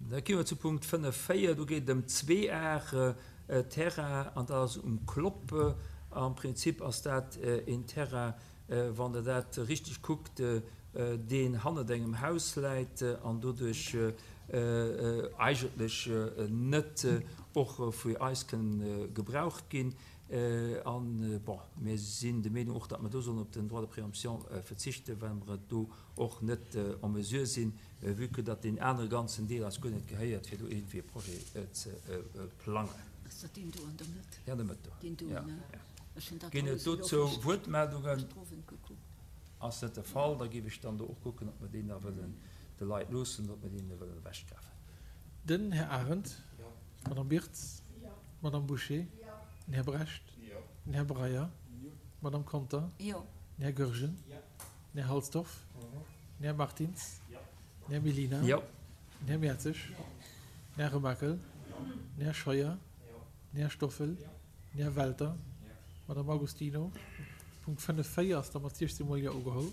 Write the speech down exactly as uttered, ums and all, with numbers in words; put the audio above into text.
Da gi mer zu Punkt fënnef véier. Do geet et ëm zwee Ar Terrain an dat ass um Klopp. Am Prinzip ass dat een Terrain, wann Der dat richteg kuckt, deen hannert engem Haus läit an doduerch eigentlech net och vu eis kënn gebraucht ginn. An, bon, mir sinn der Meenung och, datt mer do sollen op den Droit de préemption verzichten, well mer et do och net en mesure sinn, vue que datt deen anere ganzen Deel eis guer net gehéiert, fir do iergendwéi e Projet ze plangen. Ass dat deen do an der Mëtt? Ja, an der Mëtt do. Deen do, Ja, ne? ja. Ech hunn dat Ginn et alles elo dozou richteg Wuertmeldungen? drowend gekuckt. Ass net de Fall. Da géif ech dann do och kucken, ob mer deen da wëllen de Leit loossen oder ob mer deen wëllen ewechkafen. Den Här Arendt. D'Madame Birtz. D'Madame Bouché. Den Här Brecht. Den Här Breyer. D'Madame Conter. Den Här Goergen. Den Här Halsdorf. Den Här Martins. Den Här Mellina. Den Här Mertzig. Den Här Remakel. Den Här Scheuer. Den Här Stoffel. Den Här Welter. D'Madame Agostino. Punkt fënnef véier ass da mat siechzehn mol Jo ugeholl.